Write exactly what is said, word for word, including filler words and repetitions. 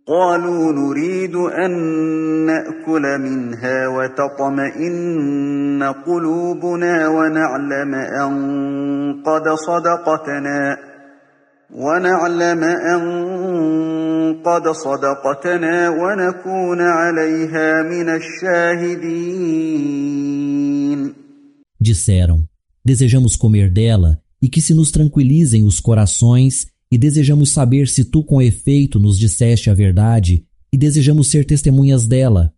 قالوا نريد أن نأكل منها وتطمئن قلوبنا ونعلم أن قد صدقتنا ونعلم أن قد صدقتنا ونكون عليها من الشاهدين. Disseram: desejamos comer dela e que se nos tranquilizem os corações, e desejamos saber se tu com efeito nos disseste a verdade, e desejamos ser testemunhas dela.